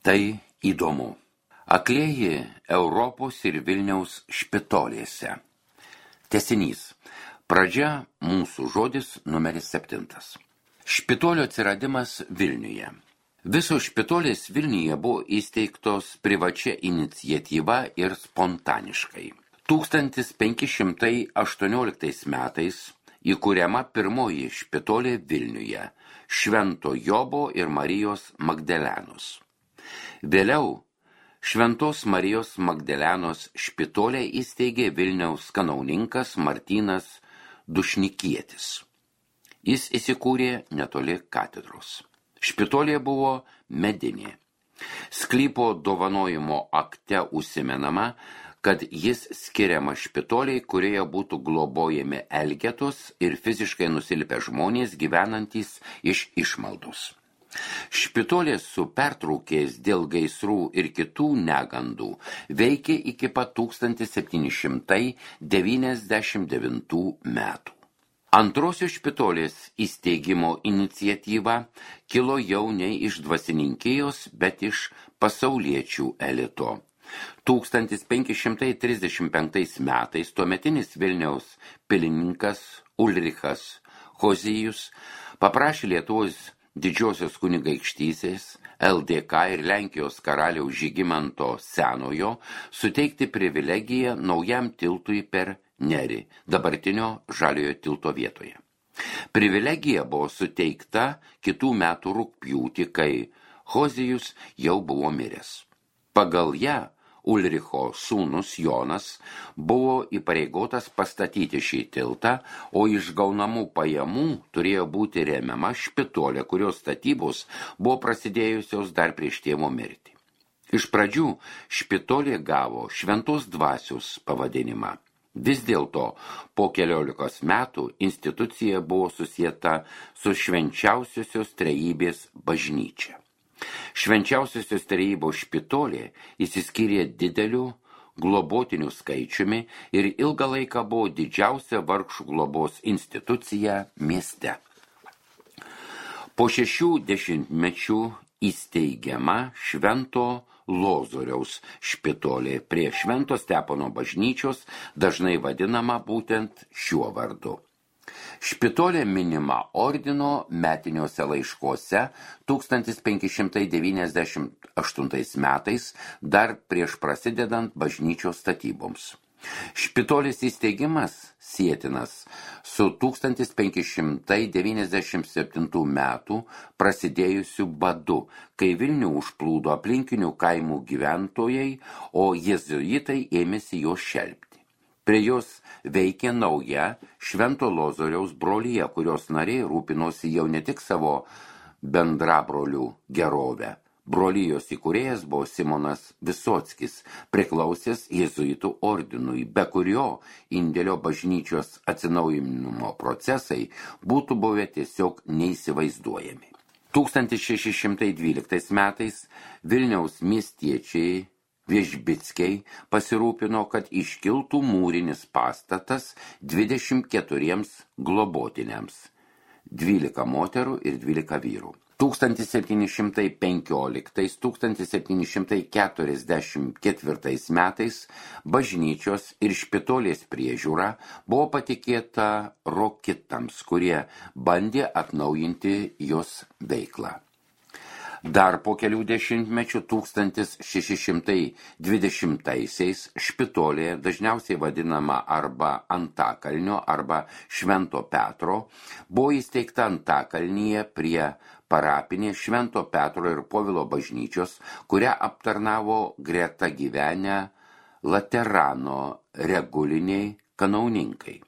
Tai įdomu. Aklieji Europos ir Vilniaus špitolėse. Tęsinys. Pradžia mūsų žodis numeris 7. Špitolio atsiradimas Vilniuje. Visos špitolės Vilniuje buvo įsteigtos privačia iniciatyva ir spontaniškai. 1518 metais įkuriama pirmoji špitolė Vilniuje – Švento Jobo ir Marijos Magdalenos. Vėliau Šventos Marijos Magdalenos špitolę įsteigė Vilniaus kanauninkas Martynas Dušnikietis. Jis įsikūrė netoli katedros. Špitolė buvo medinė. Sklypo dovanojimo akte užsimenama, kad jis skiriama špitoliai, kurioje būtų globojami elgetos ir fiziškai nusilpę žmonės gyvenantys iš išmaldos. Špitolės su pertraukės dėl gaisrų ir kitų negandų veikė iki pat 1799 metų. Antrosios špitolės įsteigimo iniciatyva kilo jau ne iš dvasininkijos, bet iš pasauliečių elito. 1535 metais tuometinis Vilniaus pilininkas Ulrichas Hozijus paprašė Lietuvos Didžiosios kunigaikštystės, LDK ir Lenkijos karaliaus Žygimanto Senojo suteikti privilegiją naujam tiltui per Nerį, dabartinio Žaliojo tilto vietoje. Privilegija buvo suteikta kitų metų rugpjūtį, kai Hozijus jau buvo miręs. Pagal ją Ulricho sūnus Jonas buvo įpareigotas pastatyti šį tiltą, o iš gaunamų pajamų turėjo būti remiama špitolė, kurios statybos buvo prasidėjusios dar prieš tėvo mirtį. Iš pradžių špitolė gavo Šventos dvasios pavadinimą. Vis dėlto po 14 metų institucija buvo susieta su Švenčiausiosios Trejybės bažnyčia. Švenčiausiosios Trejybos špitolė išsiskyrė dideliu globotinių skaičiumi ir ilgą laiką buvo didžiausia vargšų globos institucija mieste. Po 6 dešimtmečių įsteigiama Švento Lozoriaus špitolė prie Švento Stepono bažnyčios, dažnai vadinama būtent šiuo vardu. Špitolė minima ordino metiniuose laiškuose 1598 metais, dar prieš prasidedant bažnyčios statyboms. Špitolės įsteigimas sietinas su 1597 metų prasidėjusiu badu, kai Vilnių užplūdo aplinkinių kaimų gyventojai, o jėzuitai ėmėsi jos šelpti. Prie jos veikė nauja Švento Lozoriaus brolija, kurios nariai rūpinosi jau ne tik savo bendrabrolių gerovę. Brolijos įkūrėjas buvo Simonas Visockis, priklausęs jėzuitų ordinui, be kurio indėlio bažnyčios atsinaujinimo procesai būtų buvę tiesiog neįsivaizduojami. 1612 metais Vilniaus miestiečiai Viežbickiai pasirūpino, kad iškiltų mūrinis pastatas 24 globotiniams, 12 moterų ir 12 vyrų. 1715–1744 metais bažnyčios ir špitolės priežiūra buvo patikėta rokitams, kurie bandė atnaujinti jos veiklą. Dar po kelių dešimtmečių 1620-aisiais špitolė, dažniausiai vadinama arba Antakalnio arba Švento Petro, buvo įsteigta Antakalnyje prie parapinės Švento Petro ir Povilo bažnyčios, kurią aptarnavo greta gyvenę Laterano reguliniai kanauninkai.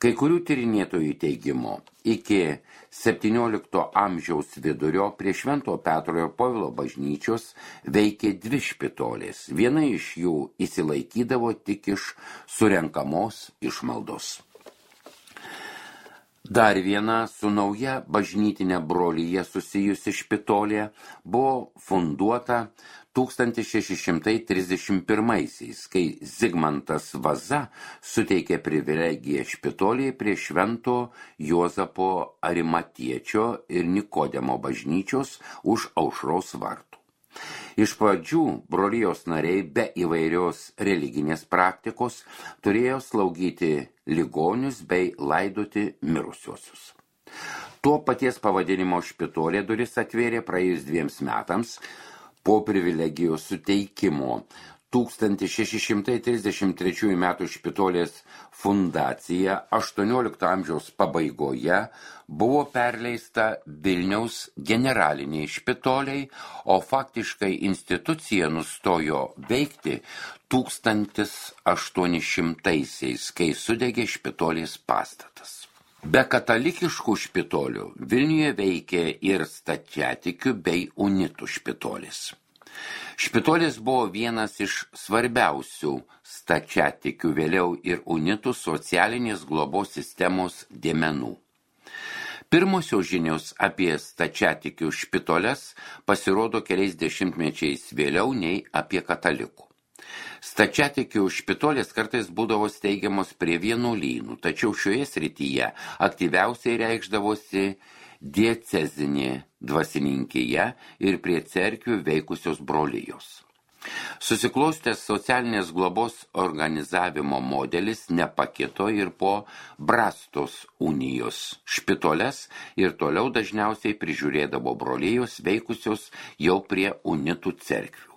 Kai kurių tyrinėtojų teigimu, iki 17 amžiaus vidurio prie Švento Petro ir Povilo bažnyčios veikė 2 špitolės. Viena iš jų išsilaikydavo tik iš surenkamos išmaldos. Dar viena su nauja bažnytinė brolija susijusi špitolė buvo funduota 1631-aisiais, kai Zigmantas Vaza suteikė privilegiją špitolėje prie Švento Juozapo Arimatiečio ir Nikodemo bažnyčios už Aušros vartų. Iš pradžių brolijos nariai be įvairios religinės praktikos turėjo slaugyti ligonius bei laidoti mirusiuosius. Tuo paties pavadinimo špitolė duris atvėrė praėjus 2 metams po privilegijos suteikimo. 1633 metų špitolės fundacija 18 amžiaus pabaigoje buvo perleista Vilniaus generaliniai špitoliai, o faktiškai institucija nustojo veikti 1800-aisiais, kai sudegė špitolės pastatas. Be katalikiškų špitolių Vilniuje veikė ir stačiatikių bei unitų špitolės. Špitolės buvo vienas iš svarbiausių stačiatikių, vėliau ir unitų socialinės globos sistemos dėmenų. Pirmosios žinios apie stačiatikių špitoles pasirodo keliais dešimtmečiais vėliau nei apie katalikų. Stačiatikių špitolės kartais būdavo steigiamos prie vienuolynų, tačiau šioje srityje aktyviausiai reikšdavosi diecezinė dvasininkija ir prie cerkvių veikusios brolijos. Susiklostęs socialinės globos organizavimo modelis nepakito ir po Brastos unijos. Špitoles ir toliau dažniausiai prižiūrėdavo brolijos veikusios jau prie unitų cerkvių.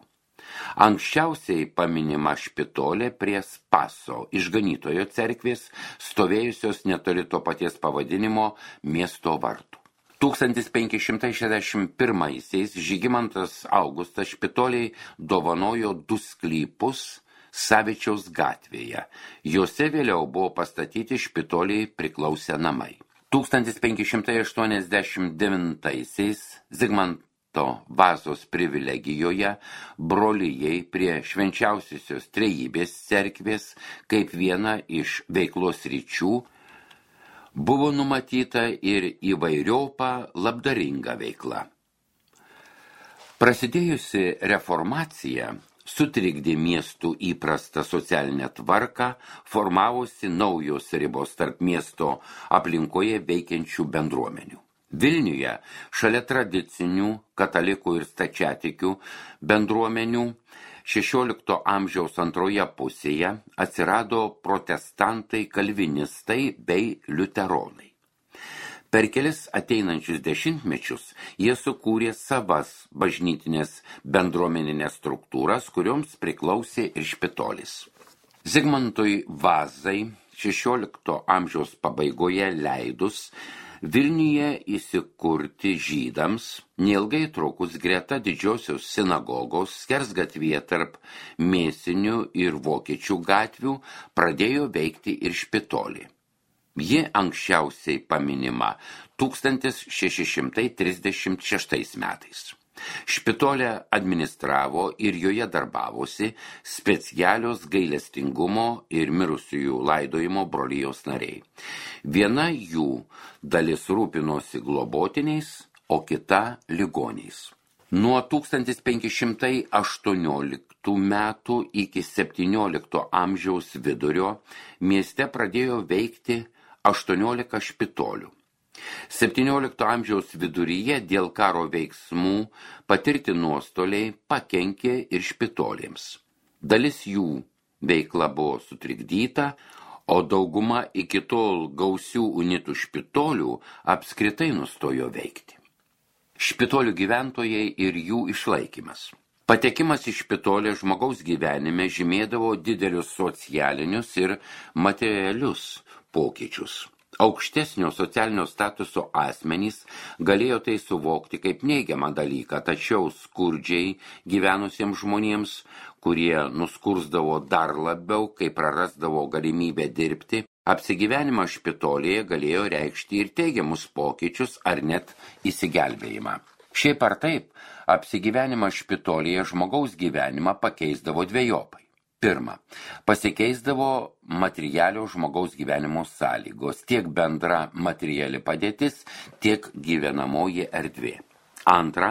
Anksčiausiai paminima špitolė prie Spaso išganytojo cerkvės, stovėjusios netoli to paties pavadinimo miesto vartų. 1561-aisiais Žygimantas Augustas špitoliai dovanojo 2 sklypus Savičiaus gatvėje. Juose vėliau buvo pastatyti špitoliai priklausę namai. 1589-aisiais Zigmanto Vazos privilegijoje brolijai prie Švenčiausiosios Trejybės cerkvės kaip viena iš veiklos ryčių buvo numatyta ir įvairiopa labdaringa veikla. Prasidėjusi reformacija sutrikdė miestų įprastą socialinę tvarką, formavosi naujos ribos tarp miesto aplinkoje veikiančių bendruomenių. Vilniuje šalia tradicinių katalikų ir stačiatikių bendruomenių 16 amžiaus antroje pusėje atsirado protestantai, kalvinistai bei liuteronai. Per kelis ateinančius dešimtmečius jie sukūrė savas bažnytinės bendruomeninės struktūras, kurioms priklausė ir špitolis. Zigmantui Vazai 16 amžiaus pabaigoje leidus Vilniuje įsikurti žydams, neilgai trukus greta didžiosios sinagogos skersgatvyje tarp Mėsinių ir Vokiečių gatvių pradėjo veikti ir špitolė. Ji anksčiausiai paminima 1636 metais. Špitolę administravo ir joje darbavosi specialios gailestingumo ir mirusiųjų laidojimo brolijos nariai. Viena jų dalis rūpinosi globotiniais, o kita ligoniais. Nuo 1518 metų iki 17 amžiaus vidurio mieste pradėjo veikti 18 špitolių. 17 amžiaus viduryje dėl karo veiksmų patirti nuostoliai pakenkė ir špitolėms. Dalis jų veikla buvo sutrikdyta, o dauguma iki tol gausių unitų špitolių apskritai nustojo veikti. Špitolių gyventojai ir jų išlaikymas. Patekimas į špitolę žmogaus gyvenime žymėdavo didelius socialinius ir materialius pokyčius. Aukštesnio socialinio statuso asmenys galėjo tai suvokti kaip neigiamą dalyką, tačiau skurdžiai gyvenusiems žmonėms, kurie nuskursdavo dar labiau, kai prarasdavo galimybę dirbti, apsigyvenimas špitolėje galėjo reikšti ir teigiamus pokyčius ar net įsigelbėjimą. Šiaip ar taip, apsigyvenimas špitolėje žmogaus gyvenimą pakeisdavo dvejopai. Pirma, pasikeisdavo materialios žmogaus gyvenimo sąlygos, tiek bendra materiali padėtis, tiek gyvenamoji erdvė. Antra,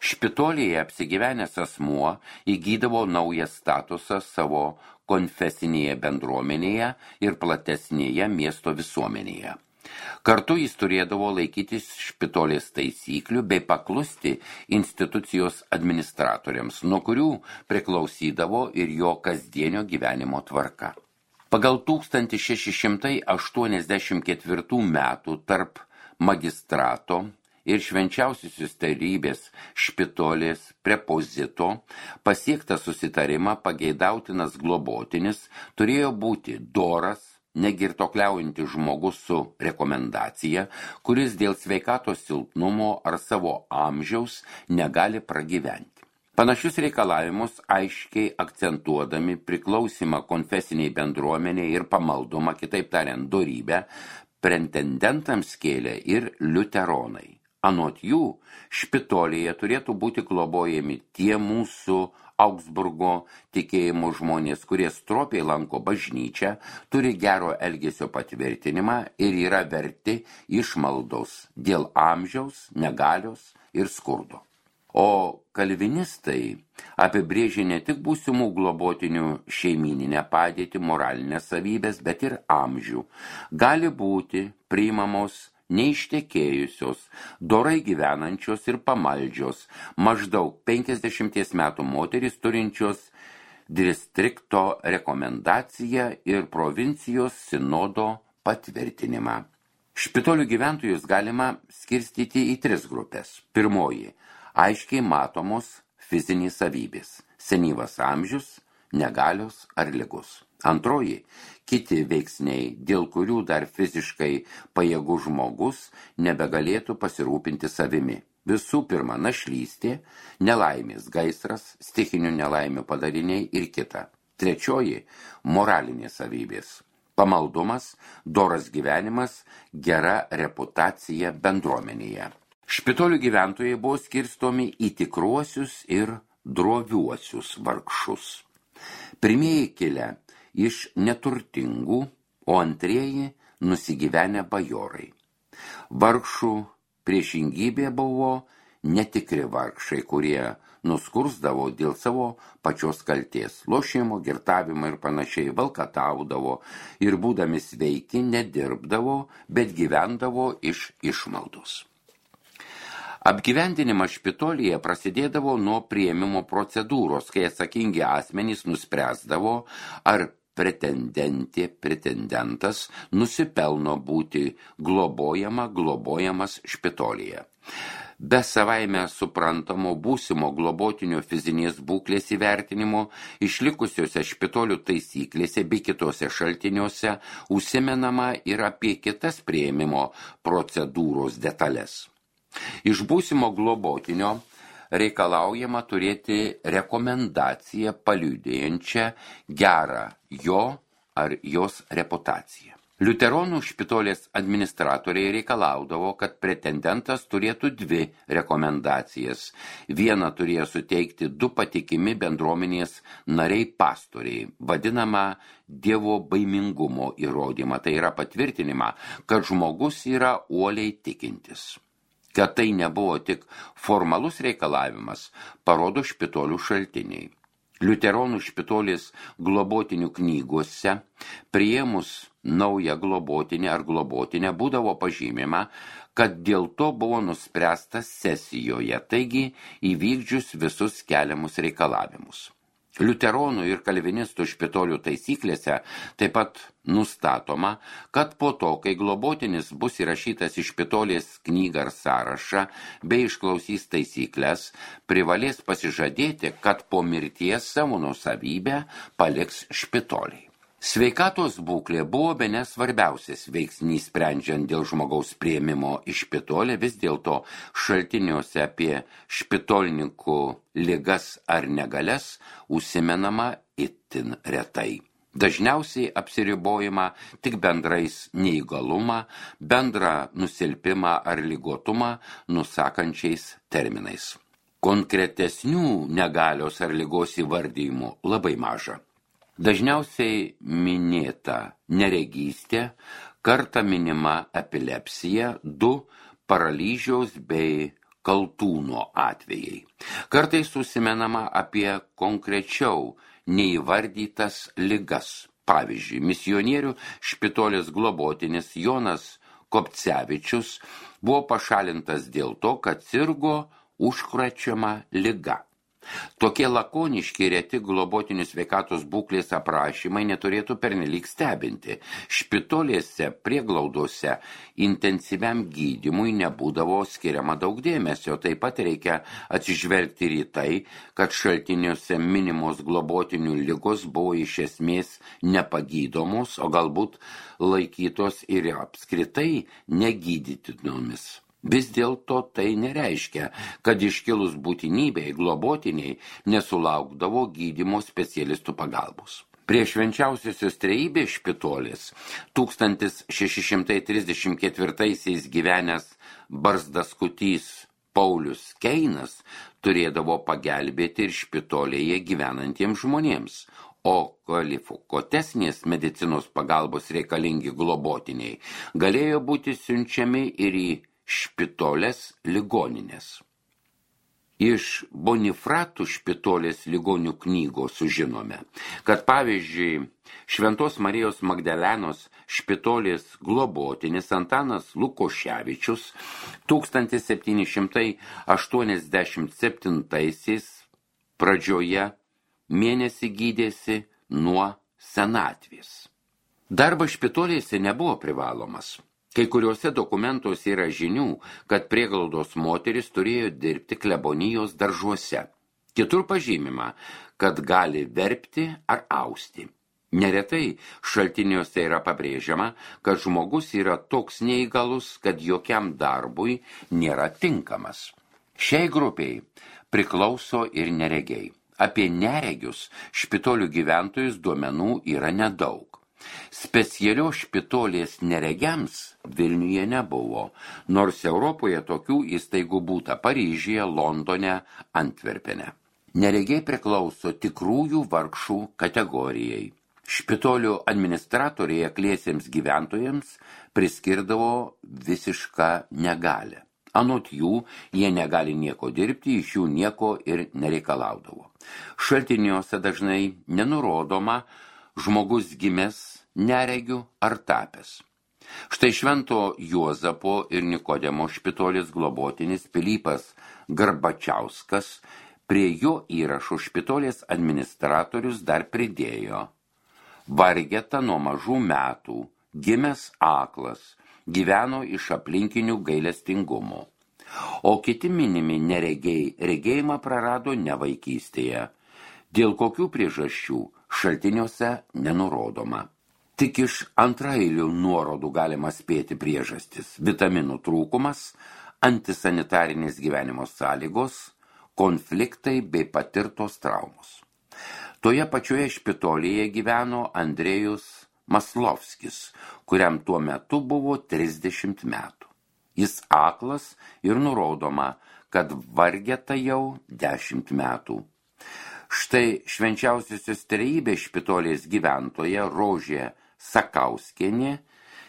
špitolėje apsigyvenęs asmuo įgydavo naują statusą savo konfesinėje bendruomenėje ir platesnėje miesto visuomenėje. Kartu jis turėdavo laikytis špitolės taisyklių bei paklusti institucijos administratoriams, nuo kurių priklausydavo ir jo kasdienio gyvenimo tvarka. Pagal 1684 metų tarp magistrato ir švenčiausiosios tarybės špitolės prepozito pasiektą susitarimą pageidautinas globotinis turėjo būti doras, negirtokliaujantis žmogus su rekomendacija, kuris dėl sveikatos silpnumo ar savo amžiaus negali pragyventi. Panašius reikalavimus aiškiai akcentuodami priklausimą konfesiniai bendruomeniai ir pamaldumą, kitaip tariant, dorybę, pretendentams kėlė ir liuteronai. Anot jų, špitolėje turėtų būti globojami tie mūsų Augsburgo tikėjimo žmonės, kurie stropiai lanko bažnyčią, turi gero elgesio patvirtinimą ir yra verti išmaldos dėl amžiaus, negalios ir skurdo. O kalvinistai apibrėžė ne tik būsimų globotinių šeimyninę padėtį, moralinės savybės, bet ir amžių. Gali būti priimamos neištekėjusios, dorai gyvenančios ir pamaldžios, maždaug 50 metų moterys turinčios distrikto rekomendaciją ir provincijos sinodo patvirtinimą. Špitolių gyventojus galima skirstyti į 3 grupės. Pirmoji – aiškiai matomos fizinės savybės, senyvas amžius, negalios ar ligos. Antroji – kiti veiksniai, dėl kurių dar fiziškai pajėgus žmogus nebegalėtų pasirūpinti savimi. Visų pirma, našlystė, nelaimės gaisras, stichinių nelaimių padariniai ir kita. Trečioji – moralinės savybės. Pamaldumas, doras gyvenimas, gera reputacija bendruomenėje. Špitolių gyventojai buvo skirstomi į tikruosius ir droviuosius vargšus. Pirmieji kilę iš neturtingų, o antrieji nusigyvenę bajorai. Vargšų priešingybė buvo netikri vargšai, kurie nuskursdavo dėl savo pačios kaltės, lošimo, girtavimo ir panašiai, valkataudavo ir būdami sveiki nedirbdavo, bet gyvendavo iš išmaldos. Apgyvendinimas špitolėje prasidėdavo nuo priėmimo procedūros, kai atsakingi asmenys nuspręsdavo, ar pretendentas nusipelno būti globojamas špitolėje. Be savaime suprantamo būsimo globotinio fizinės būklės įvertinimo, išlikusiuose špitolių taisyklėse bei kitose šaltiniuose užsimenama ir apie kitas priėmimo procedūros detalės. Iš būsimo globotinio reikalaujama turėti rekomendaciją paliudėjančią gerą jo ar jos reputaciją. Liuteronų špitolės administratoriai reikalaudavo, kad pretendentas turėtų 2 rekomendacijas. Vieną turėjo suteikti 2 patikimi bendruomenės nariai pastoriai, vadinamą Dievo baimingumo įrodymą, tai yra patvirtinimą, kad žmogus yra uoliai tikintis. Kad tai nebuvo tik formalus reikalavimas, parodo špitolių šaltiniai. Liuteronų špitolės globotinių knygose priėmus naują globotinę ar globotinę būdavo pažymima, kad dėl to buvo nuspręsta sesijoje, taigi įvykdžius visus keliamus reikalavimus. Liuteronų ir kalvinistų špitolių taisyklėse taip pat nustatoma, kad po to, kai globotinis bus įrašytas į špitolės knygą ar sąrašą bei išklausys taisyklės, privalės pasižadėti, kad po mirties savo nuosavybę paliks špitoliai. Sveikatos būklė buvo bene svarbiausias veiksnys sprendžiant dėl žmogaus priėmimo į špitolę, vis dėlto šaltiniuose apie špitolininkų ligas ar negalias užsimenama itin retai. Dažniausiai apsiribojama tik bendrais neįgalumą, bendrą nusilpimą ar ligotumą nusakančiais terminais. Konkretesnių negalios ar ligos įvardijimų labai maža. Dažniausiai minėta neregystė, kartą minima epilepsija, 2 paralyžiaus bei kaltūno atvejai. Kartais užsimenama apie konkrečiau neįvardytas ligas. Pavyzdžiui, misionierių špitolės globotinis Jonas Kopcevičius buvo pašalintas dėl to, kad sirgo užkrečiama liga. Tokie lakoniški reti globotinių sveikatos būklės aprašymai neturėtų pernelyg stebinti. Špitolėse, prieglaudose intensyviam gydymui nebūdavo skiriama daug dėmesio. Taip pat reikia atsižvelgti ir į tai, kad šaltiniuose minimos globotinių ligos buvo iš esmės nepagydomos, o galbūt laikytos ir apskritai negydytinomis. Vis dėlto tai nereiškia, kad iškilus būtinybei globotiniai nesulaukdavo gydymo specialistų pagalbos. Prie švenčiausiosios trejybės špitolės 1634 gyvenęs barzdaskutys Paulius Keinas turėdavo pagelbėti ir špitolėje gyvenantiems žmonėms, o kvalifikuotesnės medicinos pagalbos reikalingi globotiniai galėjo būti siunčiami ir į špitolės ligoninės. Iš Bonifratų špitolės ligonių knygos sužinome, kad pavyzdžiui Šventos Marijos Magdalenos špitolės globotinis Antanas Lukoševičius 1787 pradžioje mėnesį gydėsi nuo senatvės. Darbas špitolėse nebuvo privalomas. Kai kuriuose dokumentuose yra žinių, kad prieglaudos moteris turėjo dirbti klebonijos daržuose. Kitur pažymima, kad gali verpti ar austi. Neretai šaltiniuose yra pabrėžiama, kad žmogus yra toks neįgalus, kad jokiam darbui nėra tinkamas. Šiai grupiai priklauso ir neregiai. Apie neregius špitolių gyventojus duomenų yra nedaug. Specialios špitolės neregiams Vilniuje nebuvo, nors Europoje tokių įstaigų būta Paryžiuje, Londone, Antverpene. Neregiai priklauso tikrųjų vargšų kategorijai. Špitolių administratoriai akliesiems gyventojams priskirdavo visišką negalią. Anot jų, jie negali nieko dirbti, iš jų nieko ir nereikalaudavo. Šaltiniuose dažnai nenurodoma žmogus gimęs neregiu ar tapęs. Štai Švento Juozapo ir Nikodemo špitolės globotinis Pilypas Garbačiauskas prie jo įrašų špitolės administratorius dar pridėjo: vargeta nuo mažų metų, gimęs aklas, gyveno iš aplinkinių gailestingumo. O kiti minimi neregiai regėjimą prarado ne vaikystėje. Dėl kokių priežasčių šaltiniuose nenurodoma. Tik iš antraeilių nuorodų galima spėti priežastis: vitaminų trūkumas, antisanitarinės gyvenimo sąlygos, konfliktai bei patirtos traumos. Toje pačioje špitolėje gyveno Andrėjus Maslovskis, kuriam tuo metu buvo 30 metų. Jis aklas ir nurodoma, kad vargeta jau 10 metų. Štai švenčiausiosios trejybės špitolės gyventoja Rožė Sakauskienė,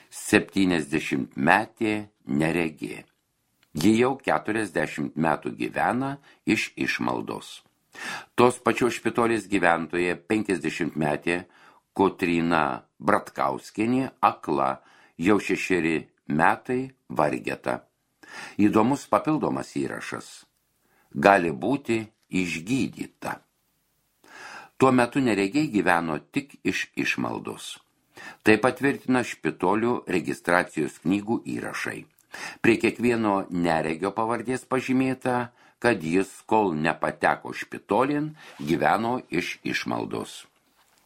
70-metė neregė. Ji jau 40 metų gyvena iš išmaldos. Tos pačios špitolės gyventoja 50-metė Kotryna Bratkauskienė akla, jau 6 metai vargeta. Įdomus papildomas įrašas: gali būti išgydyta. Tuo metu neregiai gyveno tik iš išmaldos. Tai patvirtina špitolių registracijos knygų įrašai. Prie kiekvieno neregio pavardės pažymėta, kad jis, kol nepateko špitolin, gyveno iš išmaldos.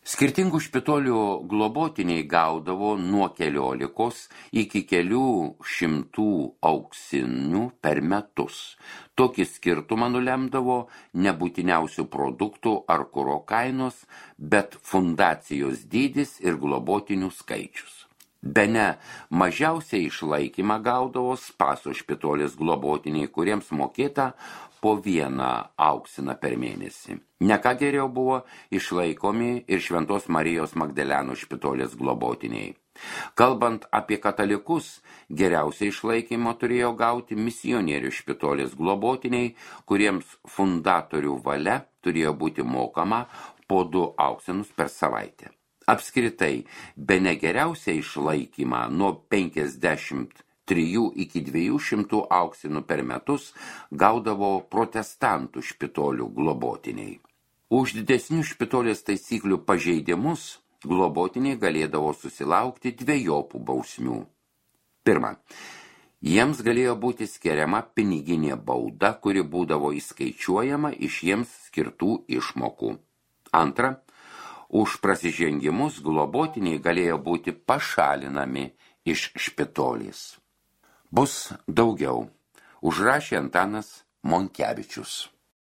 Skirtingų špitolių globotiniai gaudavo nuo 14 iki kelių šimtų auksinių per metus. Tokį skirtumą nulemdavo nebūtiniausių produktų ar kuro kainos, bet fundacijos dydis ir globotinių skaičius. Bene mažiausiai išlaikymą gaudavo Spaso špitolės globotiniai, kuriems mokėta po 1 auksiną per mėnesį. Ne ką geriau buvo išlaikomi ir Šventos Marijos Magdalenos špitolės globotiniai. Kalbant apie katalikus, geriausiai išlaikymą turėjo gauti misionierių špitolės globotiniai, kuriems fundatorių valia turėjo būti mokama po 2 auksinus per savaitę. Apskritai, bene geriausią išlaikymą nuo 50 3 iki 200 auksinų per metus gaudavo protestantų špitolių globotiniai. Už didesnių špitolės taisyklių pažeidimus globotiniai galėdavo susilaukti dvejopų bausmių. Pirma, jiems galėjo būti skiriama piniginė bauda, kuri būdavo įskaičiuojama iš jiems skirtų išmokų. Antra, už prasižengimus globotiniai galėjo būti pašalinami iš špitolės. Bus daugiau, užrašė Antanas Monkevičius.